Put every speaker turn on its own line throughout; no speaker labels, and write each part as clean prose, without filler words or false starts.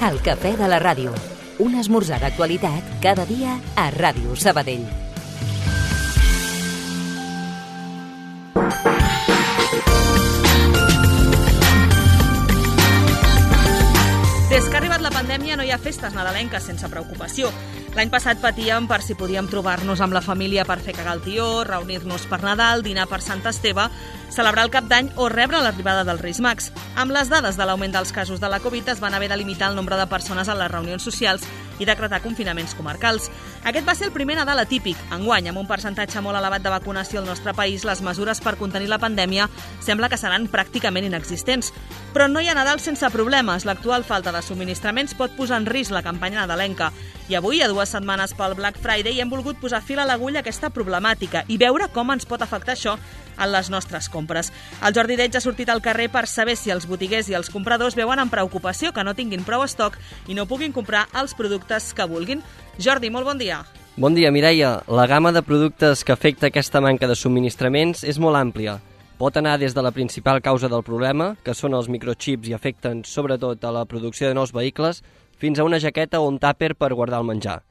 El cafè de la ràdio. Un esmorzar d'actualitat cada dia a Ràdio Sabadell.
Des que ha arribat la pandèmia no hi ha festes nadalenques sense preocupació. L'any passat patíem per si podíem trobar-nos amb la família per fer cagar el tió, reunir-nos per Nadal, dinar per Sant Esteve, celebrar el Cap d'Any o rebre l'arribada dels Reis Mags. Amb les dades de l'augment dels casos de la Covid es van haver de limitar el nombre de persones a les reunions socials i decretar confinaments comarcals. Aquest va ser el primer Nadal atípic. Enguany, amb un percentatge molt elevat de vacunació al nostre país, les mesures per contenir la pandèmia sembla que seran pràcticament inexistents. Però no hi ha Nadal sense problemes. L'actual falta de subministraments pot posar en risc la campanya nadalenca. I avui, a 2 setmanes pel Black Friday, hem volgut posar fil a l'agulla a aquesta problemàtica i veure com ens pot afectar això en les nostres compres. El Jordi Deig ha sortit al carrer per saber si els botiguers i els compradors veuen amb preocupació que no tinguin prou estoc i no puguin comprar els productes que vulguin. Jordi, molt bon dia.
Bon dia, Mireia. La gamma de productes que afecta aquesta manca de subministraments és molt àmplia. Pot anar des de la principal causa del problema, que són els microchips i afecten sobretot a la producció de nous vehicles, fins a una jaqueta o un tàper per guardar el menjar.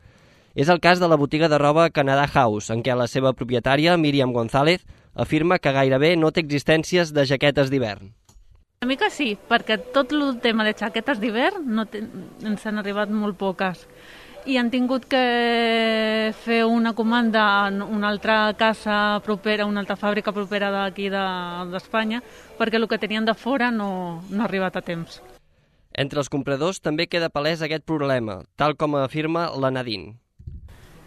És el cas de la botiga de roba Canada House, en què la seva propietària, Míriam González, afirma que gairebé no té existències de jaquetes d'hivern.
Una mica sí, perquè tot el tema de jaquetes d'hivern ens han arribat molt poques. I han tingut que fer una comanda en una altra casa propera, una altra fàbrica propera d'aquí d'Espanya, perquè el que tenien de fora no ha arribat a temps.
Entre els compradors també queda palès aquest problema, tal com afirma la Nadine.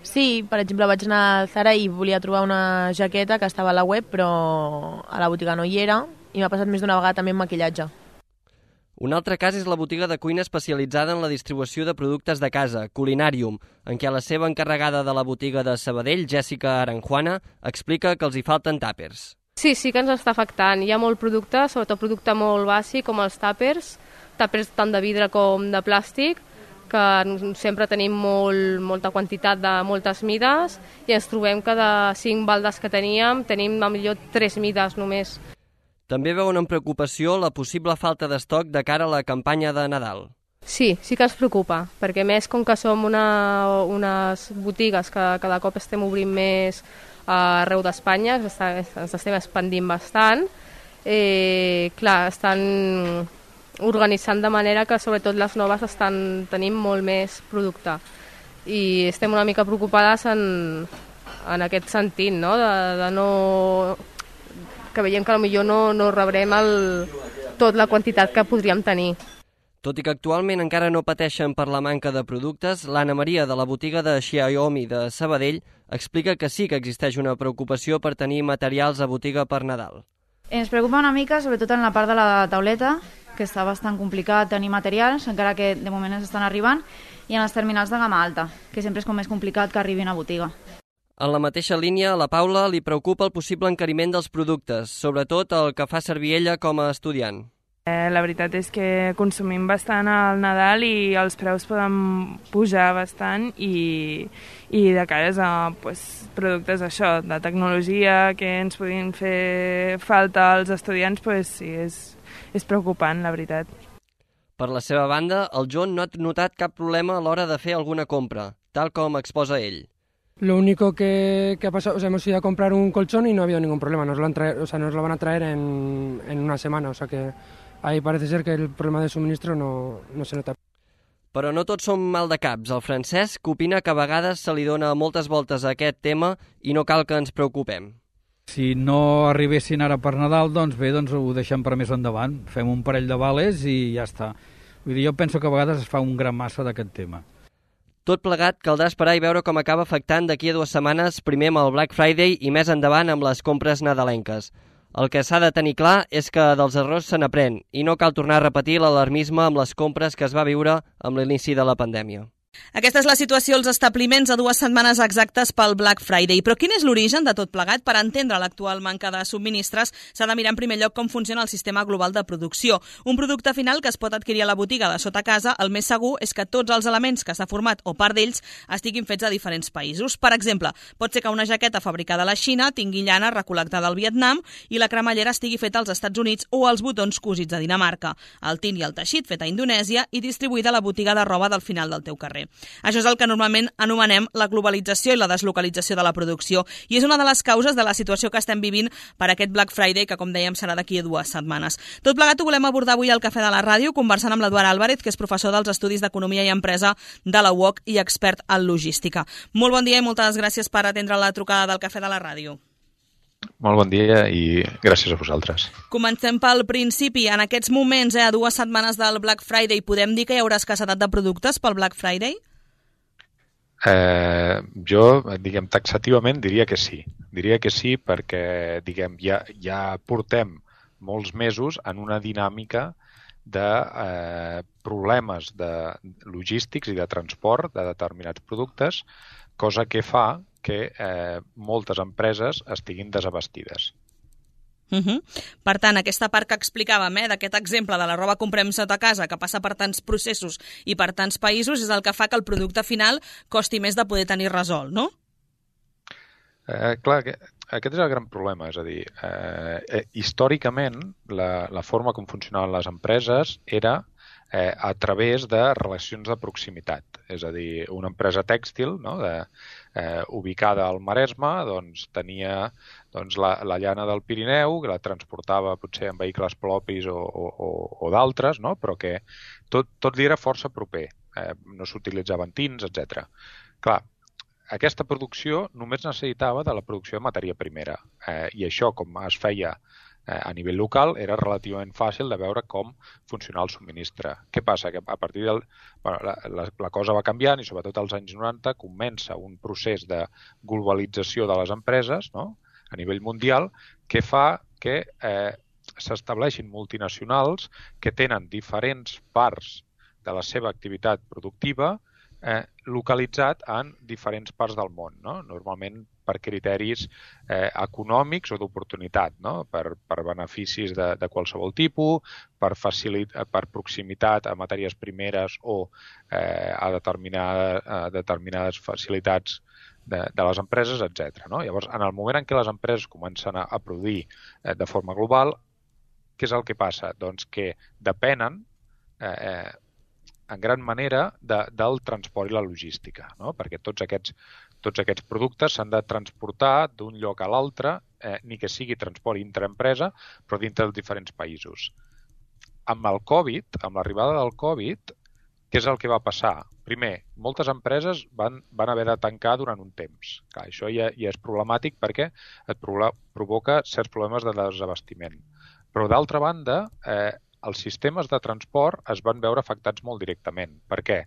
Sí, per exemple, vaig anar al Zara i volia trobar una jaqueta que estava a la web, però a la botiga no hi era, i m'ha passat més d'una vegada també amb maquillatge.
Un altre cas és la botiga de cuina especialitzada en la distribució de productes de casa, Culinarium, en què la seva encarregada de la botiga de Sabadell, Jessica Aranjuana, explica que els hi falten tàpers.
Sí que ens està afectant. Hi ha molt producte, sobretot producte molt bàsic, com els tàpers tant de vidre com de plàstic, que sempre tenim molta quantitat de moltes mides i ens trobem que de 5 baldes que tenim millor 3 mides només.
També veuen amb preocupació la possible falta d'estoc de cara a la campanya de Nadal.
Sí que ens preocupa, perquè més com que som unes botigues que cada cop estem obrint més arreu d'Espanya, ens estem expandint bastant, estan organitzant de manera que sobretot les noves tenim molt més producte. I estem una mica preocupades en aquest sentit, no? De no... que veiem que potser no rebrem tot la quantitat que podríem tenir.
Tot i que actualment encara no pateixen per la manca de productes, l'Anna Maria de la botiga de Xiaomi de Sabadell explica que sí que existeix una preocupació per tenir materials a botiga per Nadal.
Ens preocupa una mica, sobretot en la part de la tauleta, que està bastant complicat tenir materials, encara que de moment ens estan arribant, i en les terminals de gamma alta, que sempre és com més complicat que arribin a botiga.
En la mateixa línia, a la Paula li preocupa el possible encariment dels productes, sobretot el que fa servir ella com a estudiant.
La veritat és que consumim bastant al Nadal i els preus poden pujar bastant i de cares a productes això, de tecnologia que ens podien fer falta als estudiants, sí, és preocupant, la veritat.
Per la seva banda, el John no ha notat cap problema a l'hora de fer alguna compra, tal com exposa ell.
Lo único que ha pasado, hemos ido a comprar un colchón y no ha habido ningún problema, nos lo van a traer en una semana, que ahí parece ser que el problema de suministro no se nota.
Però no tots són mal de caps. El Francesc opina que a vegades se li dona moltes voltes a aquest tema i no cal que ens preocupem.
Si no arribessin ara per Nadal, doncs ho deixem per més endavant, fem un parell de vales i ja està. Vull dir, jo penso que a vegades es fa un gran massa d'aquest tema.
Tot plegat caldrà esperar i veure com acaba afectant d'aquí a 2 setmanes, primer amb el Black Friday i més endavant amb les compres nadalenques. El que s'ha de tenir clar és que dels errors se n'aprèn i no cal tornar a repetir l'alarmisme amb les compres que es va viure amb l'inici de la pandèmia.
Aquesta és la situació als establiments a 2 setmanes exactes pel Black Friday. Però quin és l'origen de tot plegat? Per entendre l'actual manca de subministres s'ha de mirar en primer lloc com funciona el sistema global de producció. Un producte final que es pot adquirir a la botiga de sota casa, el més segur és que tots els elements que s'ha format o part d'ells estiguin fets a diferents països. Per exemple, pot ser que una jaqueta fabricada a la Xina tingui llana recol·lectada al Vietnam i la cremallera estigui feta als Estats Units o els botons cosits a Dinamarca, el tint i el teixit fet a Indonèsia i distribuïda a la botiga de roba del final del teu carrer. Això és el que normalment anomenem la globalització i la deslocalització de la producció i és una de les causes de la situació que estem vivint per aquest Black Friday, que com dèiem serà d'aquí a 2 setmanes. Tot plegat ho volem abordar avui al Cafè de la Ràdio, conversant amb l'Eduard Álvarez, que és professor dels Estudis d'Economia i Empresa de la UOC i expert en logística. Molt bon dia i moltes gràcies per atendre la trucada del Cafè de la Ràdio.
Molt bon dia i gràcies a vosaltres.
Comencem pel principi. En aquests moments, a 2 setmanes del Black Friday, podem dir que hi haurà escassetat de productes pel Black Friday?
Jo, taxativament diria que sí. Diria que sí perquè, ja portem molts mesos en una dinàmica de problemes logístics i de transport de determinats productes, cosa que fa que moltes empreses estiguin desabastides.
Per tant, aquesta part que explicàvem, d'aquest exemple de la roba comprem sota casa, que passa per tants processos i per tants països, és el que fa que el producte final costi més de poder tenir resolt, no?
Clar, aquest és el gran problema, és a dir, històricament la forma com funcionaven les empreses era a través de relacions de proximitat. És a dir, una empresa tèxtil ubicada al Maresme tenia la llana del Pirineu, que la transportava potser en vehicles propis o d'altres, però que tot li era força proper. No s'utilitzaven tins, etc. Clar, aquesta producció només necessitava de la producció de matèria primera i això, com es feia a nivell local, era relativament fàcil de veure com funcionava el subministre. Què passa? Que a partir la cosa va canviant i sobretot als anys 90 comença un procés de globalització de les empreses a nivell mundial que fa que s'estableixin multinacionals que tenen diferents parts de la seva activitat productiva localitzat en diferents parts del món, normalment per criteris econòmics o d'oportunitat, per beneficis de qualsevol tipus, per proximitat a matèries primeres o a determinades facilitats de les empreses, etc. Llavors, en el moment en què les empreses comencen a produir de forma global, què és el que passa? Doncs que depenen en gran manera del transport i la logística, perquè tots aquests productes s'han de transportar d'un lloc a l'altre, ni que sigui transport intraempresa, però dintre dels diferents països. Amb el Covid, amb l'arribada del Covid, què és el que va passar? Primer, moltes empreses van haver de tancar durant un temps. Clar, això ja és problemàtic perquè et provoca certs problemes de desabastiment. Però d'altra banda, els sistemes de transport es van veure afectats molt directament. Per què?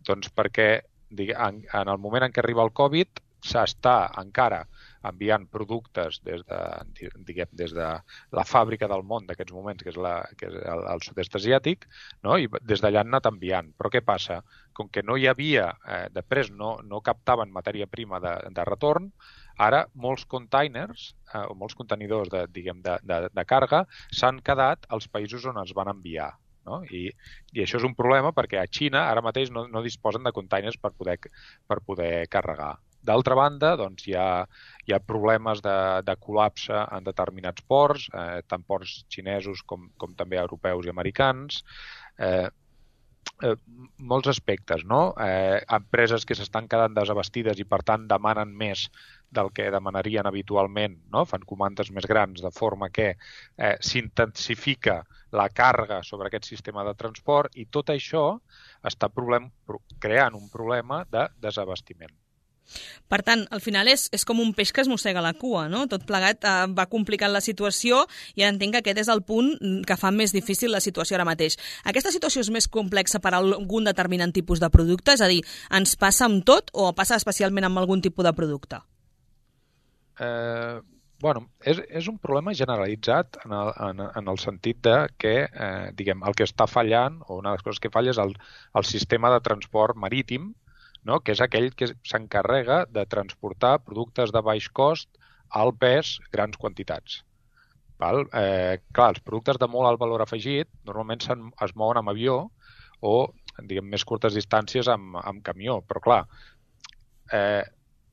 Doncs perquè en el moment en què arriba el Covid s'està encara enviant productes des de la fàbrica del món d'aquests moments, que és el sud-est asiàtic, i des d'allà han anat enviant. Però què passa? Com que no hi havia, després no captaven matèria prima de retorn, ara molts containers o molts contenidors de càrrega s'han quedat als països on es van enviar. I això és un problema perquè a Xina ara mateix no disposen de containers per poder carregar. D'altra banda, hi ha problemes de col·lapse en determinats ports, tant ports xinesos com també europeus i americans, molts aspectes, empreses que s'estan quedant desabastides i per tant demanen més del que demanarien habitualment, fan comandes més grans, de forma que s'intensifica la càrrega sobre aquest sistema de transport i tot això està creant un problema de desabastiment.
Per tant, al final és com un peix que es mossega la cua, no? Tot plegat va complicant la situació i entenc que aquest és el punt que fa més difícil la situació ara mateix. Aquesta situació és més complexa per a algun determinant tipus de producte? És a dir, ens passa amb tot o passa especialment amb algun tipus de producte?
És un problema generalitzat en el sentit que el que està fallant, o una de les coses que falla és el sistema de transport marítim, no? Que és aquell que s'encarrega de transportar productes de baix cost, alt pes, grans quantitats. Val? Clar, els productes de molt alt valor afegit normalment es mouen amb avió o, diguem, més curtes distàncies amb camió, però clar,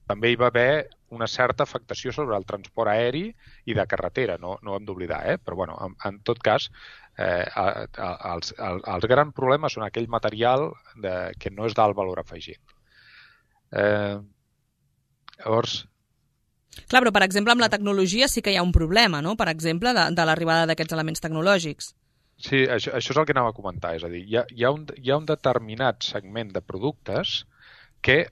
també hi va haver una certa afectació sobre el transport aeri i de carretera, no ho hem d'oblidar, però bueno, en tot cas, els grans problemes són aquell material que no és d'alt valor afegit. Llavors...
Clar, però per exemple amb la tecnologia sí que hi ha un problema, no? Per exemple, de l'arribada d'aquests elements tecnològics.
Sí, això és el que anava a comentar, és a dir, hi ha un determinat segment de productes que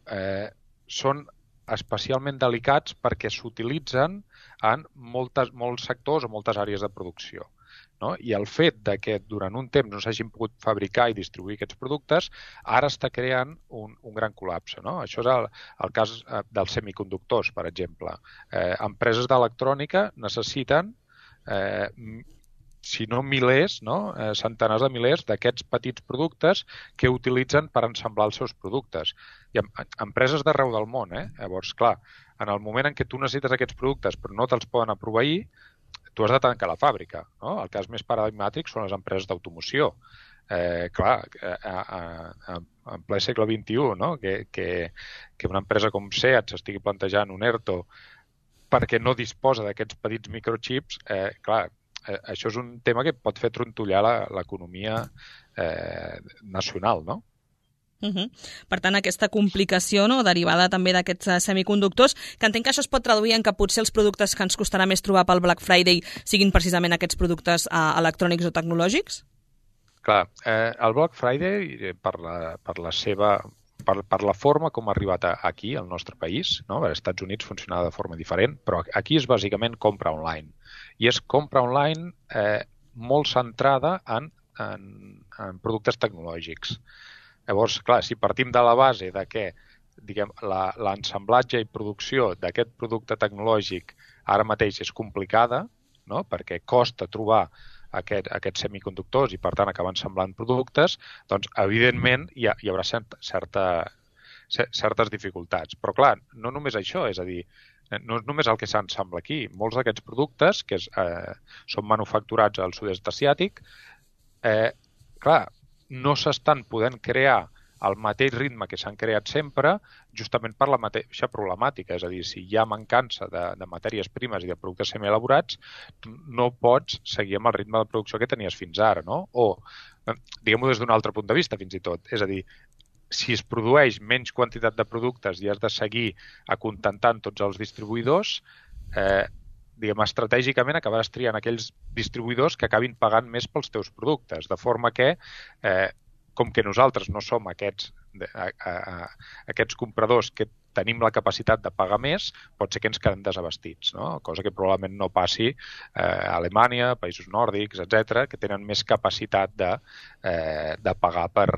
són especialment delicats perquè s'utilitzen en molts sectors o moltes àrees de producció. No? I el fet de que durant un temps no s'hagin pogut fabricar i distribuir aquests productes ara està creant un gran col·lapse. No? Això és el cas dels semiconductors, per exemple. Empreses d'electrònica necessiten, si no milers, centenars de milers d'aquests petits productes que utilitzen per ensamblar els seus productes. I empreses d'arreu del món. Llavors, clar, en el moment en què tu necessites aquests productes però no te'ls poden proveir, tu has de tancar la fàbrica. No? El cas més paradigmàtic són les empreses d'automoció. Clar, en ple segle XXI, no? que una empresa com SEAT s'estigui plantejant un ERTO perquè no disposa d'aquests petits microchips, clar, això és un tema que pot fer trontollar l'economia nacional, no?
Per tant, aquesta complicació derivada també d'aquests semiconductors, que entenc que això es pot traduir en que potser els productes que ens costarà més trobar pel Black Friday siguin precisament aquests productes electrònics o tecnològics?
Clar, el Black Friday, per la forma com ha arribat aquí, al nostre país, no? Als Estats Units funcionava de forma diferent, però aquí és bàsicament compra online. I és compra online molt centrada en productes tecnològics. Llavors, clar, si partim de la base de que l'ensamblatge i producció d'aquest producte tecnològic ara mateix és complicada, no? Perquè costa trobar aquests semiconductors i, per tant, acabar ensamblant productes, doncs, evidentment, hi haurà certes dificultats. Però, clar, no només això, és a dir, no és només el que s'ensambla aquí. Molts d'aquests productes, que són manufacturats al sud-est asiàtic, clar, no s'estan podent crear al mateix ritme que s'han creat sempre, justament per la mateixa problemàtica. És a dir, si hi ha mancança de matèries primes i de productes semielaborats, no pots seguir amb el ritme de producció que tenies fins ara, no? O, diguem-ho des d'un altre punt de vista, fins i tot. És a dir, si es produeix menys quantitat de productes i has de seguir acontentant tots els distribuïdors, estratègicament acabaràs triant aquells distribuïdors que acabin pagant més pels teus productes, de forma que, com que nosaltres no som aquests compradors que tenim la capacitat de pagar més, pot ser que ens quedem desabastits, no? Cosa que probablement no passi a Alemanya, països nòrdics, etc., que tenen més capacitat de pagar per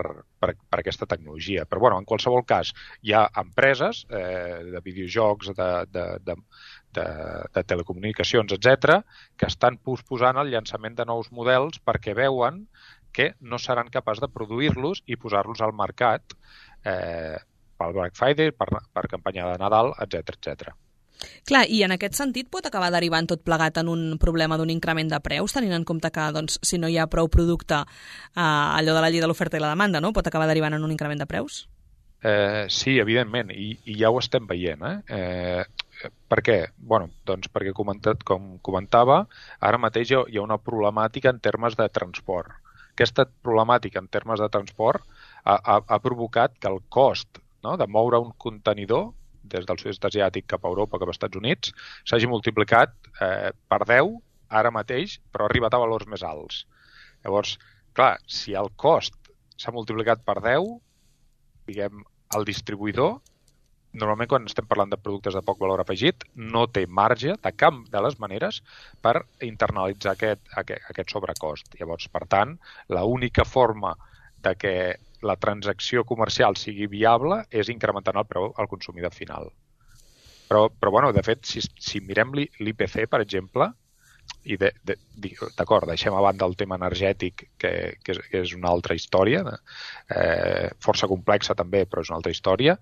aquesta tecnologia. Però, bueno, en qualsevol cas, hi ha empreses de videojocs, de telecomunicacions, etc., que estan posposant el llançament de nous models perquè veuen que no seran capaços de produir-los i posar-los al mercat pel Black Friday, per campanya de Nadal, etc.
Clar, i en aquest sentit pot acabar derivant tot plegat en un problema d'un increment de preus, tenint en compte que si no hi ha prou producte, allò de la llei de l'oferta i la demanda, no? Pot acabar derivant en un increment de preus?
Sí, evidentment, i ja ho estem veient. Per què? Doncs perquè, com comentava, ara mateix hi ha una problemàtica en termes de transport. Aquesta problemàtica en termes de transport ha provocat que el cost de moure un contenidor des del sud-est asiàtic cap a Europa, cap als Estats Units, s'hagi multiplicat per 10 ara mateix, però ha arribat a valors més alts. Llavors, clar, si el cost s'ha multiplicat per 10, diguem, el distribuïdor, normalment quan estem parlant de productes de poc valor afegit, no té marge de cap de les maneres per internalitzar aquest sobrecost. Llavors, per tant, l'única forma de que la transacció comercial sigui viable és incrementant el preu al consumidor final. Però de fet, si mirem l'IPC, per exemple, d'acord, deixem a banda el tema energètic, que és una altra història, força complexa també, però és una altra història,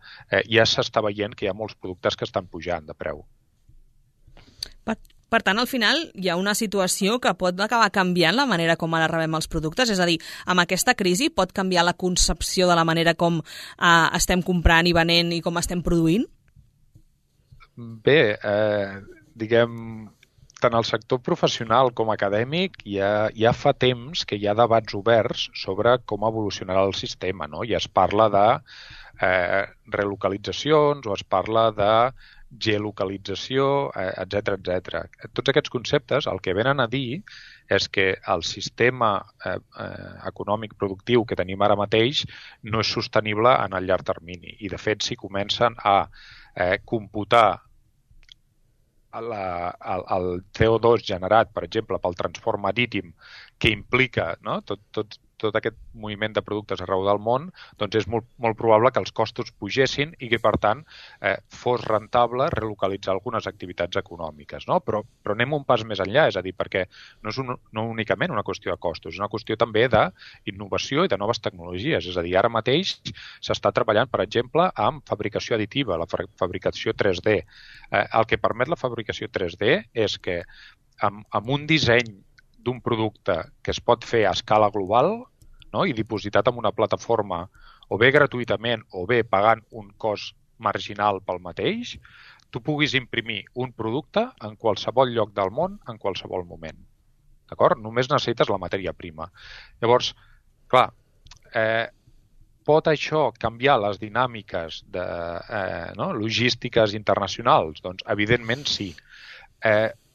ja s'està veient que hi ha molts productes que estan pujant de preu.
Per tant, al final hi ha una situació que pot acabar canviant la manera com ara rebem els productes, és a dir, amb aquesta crisi pot canviar la concepció de la manera com estem comprant i venent i com estem produint?
Bé, diguem, tant el sector professional com acadèmic ja fa temps que hi ha debats oberts sobre com evolucionarà el sistema, no? I es parla de relocalitzacions o es parla de geolocalització, etc etc. Tots aquests conceptes el que venen a dir és que el sistema econòmic productiu que tenim ara mateix no és sostenible en el llarg termini. I, de fet, si comencen a computar el CO2 generat, per exemple, pel transport marítim, que implica tot aquest moviment de productes arreu del món, doncs és molt probable que els costos pugessin i que, per tant, fos rentable relocalitzar algunes activitats econòmiques. No? Però anem un pas més enllà, és a dir, perquè no és no únicament una qüestió de costos, és una qüestió també d'innovació i de noves tecnologies. És a dir, ara mateix s'està treballant, per exemple, amb fabricació additiva, la fabricació 3D. El que permet la fabricació 3D és que amb un disseny d'un producte que es pot fer a escala global, no? I dipositat en una plataforma o bé gratuïtament o bé pagant un cost marginal pel mateix, tu puguis imprimir un producte en qualsevol lloc del món, en qualsevol moment. D'acord? Només necessites la matèria prima. Llavors, clar, pot això canviar les dinàmiques logístiques internacionals? Doncs, evidentment, sí.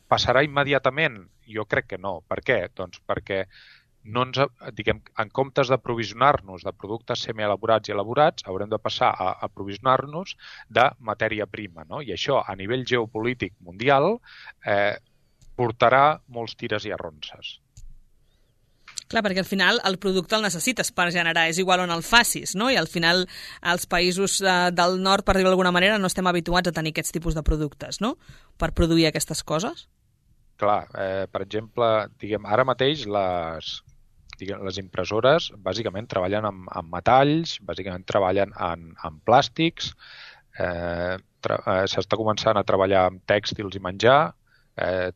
Passarà immediatament? Jo crec que no. Per què? Doncs perquè en comptes d'aprovisionar-nos de productes semielaborats i elaborats, haurem de passar a aprovisionar-nos de matèria prima. No? I això, a nivell geopolític mundial, portarà molts tires i arronses.
Clar, perquè al final el producte el necessites per generar, és igual on el facis, no? I al final els països del nord, per dir-ho d'alguna manera, no estem habituats a tenir aquests tipus de productes, no? Per produir aquestes coses.
Clar, per exemple, ara mateix les impressores bàsicament treballen amb metalls, bàsicament treballen en plàstics, s'està començant a treballar amb tèxtils i menjar,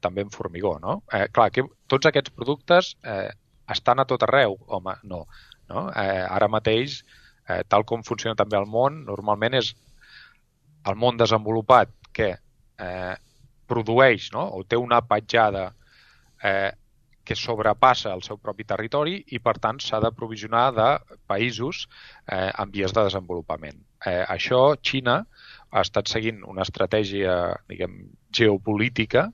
també en formigó, no? Clar, tots aquests productes estan a tot arreu? Home, no. Ara mateix, tal com funciona també el món, normalment és el món desenvolupat que produeix, no? O té una petjada que sobrepassa el seu propi territori i, per tant, s'ha d'aprovisionar de països en vies de desenvolupament. Això, Xina ha estat seguint una estratègia, geopolítica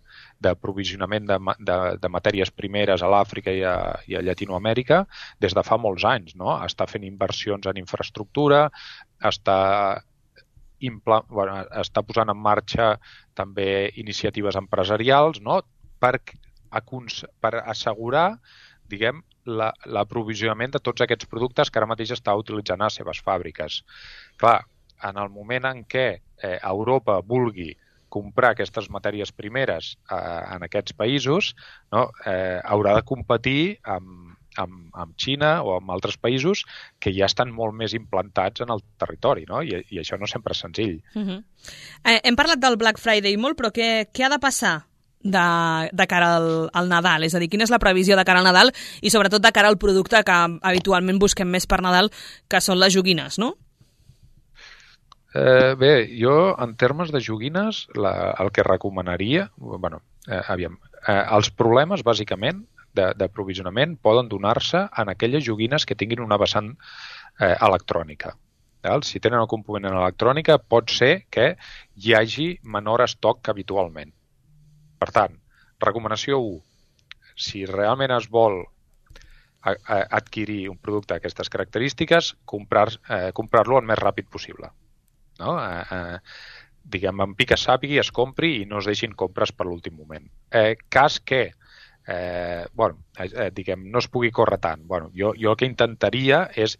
d'aprovisionament de matèries primeres a l'Àfrica i a Llatinoamèrica des de fa molts anys. No? Està fent inversions en infraestructura, està posant en marxa també iniciatives empresarials, no? per assegurar l'aprovisionament de tots aquests productes que ara mateix està utilitzant a les seves fàbriques. Clar, en el moment en què Europa vulgui comprar aquestes matèries primeres en aquests països, no? Haurà de competir amb Xina o amb altres països que ja estan molt més implantats en el territori, no? I això no sempre és senzill.
Hem parlat del Black Friday molt, però què ha de passar de cara al Nadal? És a dir, quina és la previsió de cara al Nadal i sobretot de cara al producte que habitualment busquem més per Nadal, que són les joguines, no?
Bé, jo en termes de joguines el que recomanaria, els problemes bàsicament d'aprovisionament poden donar-se en aquelles joguines que tinguin una vessant electrònica. Si tenen un component electrònica pot ser que hi hagi menor estoc que habitualment. Per tant, recomanació 1, si realment es vol adquirir un producte d'aquestes característiques, comprar-lo el més ràpid possible. No? En pica sàpigui, es compri i no es deixin compres per l'últim moment. Cas que no es pugui córrer tant. Jo el que intentaria és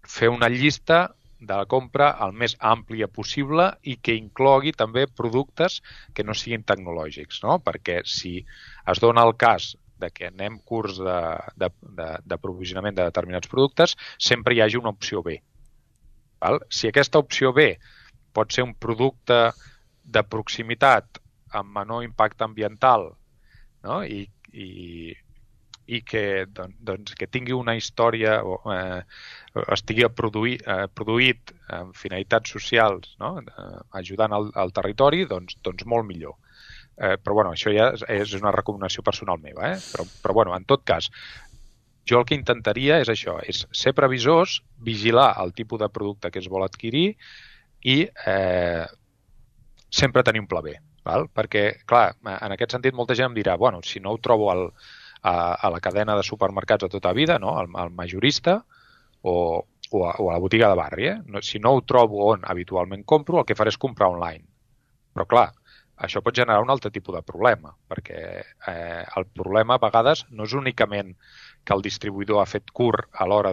fer una llista de la compra el més àmplia possible i que inclogui també productes que no siguin tecnològics, no? Perquè si es dona el cas de que anem curts d'aprovisionament de determinats productes, sempre hi hagi una opció B. Val? Si aquesta opció B pot ser un producte de proximitat amb menor impacte ambiental, no? I que, doncs, que tingui una història o estigui produït amb finalitats socials, no? Ajudant al territori, doncs molt millor. Però bueno, això ja és una recomanació personal meva, però bueno, en tot cas, jo el que intentaria és això, és ser previsors, vigilar el tipus de producte que es vol adquirir i sempre tenir un pla B. Val? Perquè, clar, en aquest sentit molta gent em dirà, bueno, si no ho trobo a la cadena de supermercats de tota vida, no? Al majorista o a la botiga de barri. Si no ho trobo on habitualment compro, el que faré és comprar online. Però clar, això pot generar un altre tipus de problema, perquè el problema a vegades no és únicament que el distribuïdor ha fet curt a l'hora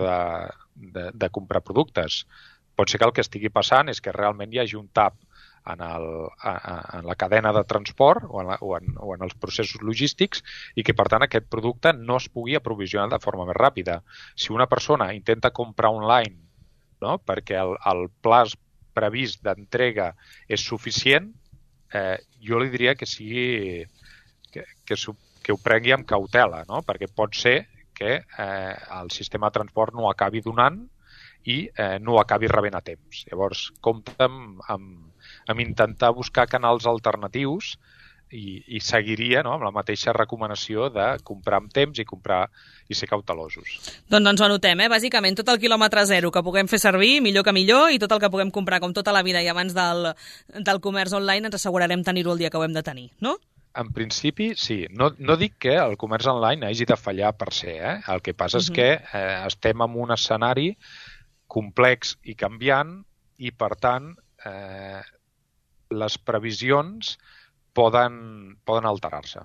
de comprar productes. Pot ser que el que estigui passant és que realment hi hagi un tap en la cadena de transport o en els processos logístics i que, per tant, aquest producte no es pugui aprovisionar de forma més ràpida. Si una persona intenta comprar online, no, perquè el plaç previst d'entrega és suficient, jo li diria que ho prengui amb cautela, no? Perquè pot ser que el sistema de transport no acabi donant i no ho acabi rebent a temps. Llavors, compta amb intentar buscar canals alternatius i seguiria, no, amb la mateixa recomanació de comprar amb temps i ser cautelosos.
Doncs ens ho anotem, bàsicament tot el quilòmetre zero que puguem fer servir, millor que millor, i tot el que puguem comprar com tota la vida i abans del comerç online ens assegurarem tenir-ho el dia que ho hem de tenir, no?
En principi, sí. No dic que el comerç online hagi de fallar per ser, El que passa és que estem en un escenari complex i canviant i, per tant, les previsions poden alterar-se.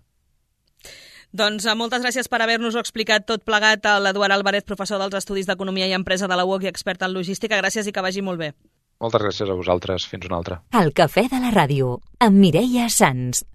Doncs moltes gràcies per haver-nos-ho explicat tot plegat a l'Eduard Álvarez, professor dels Estudis d'Economia i Empresa de la UOC i expert en logística. Gràcies i que vagi molt bé.
Moltes gràcies a vosaltres. Fins una altra.
El Cafè de la Ràdio, amb Mireia Sans.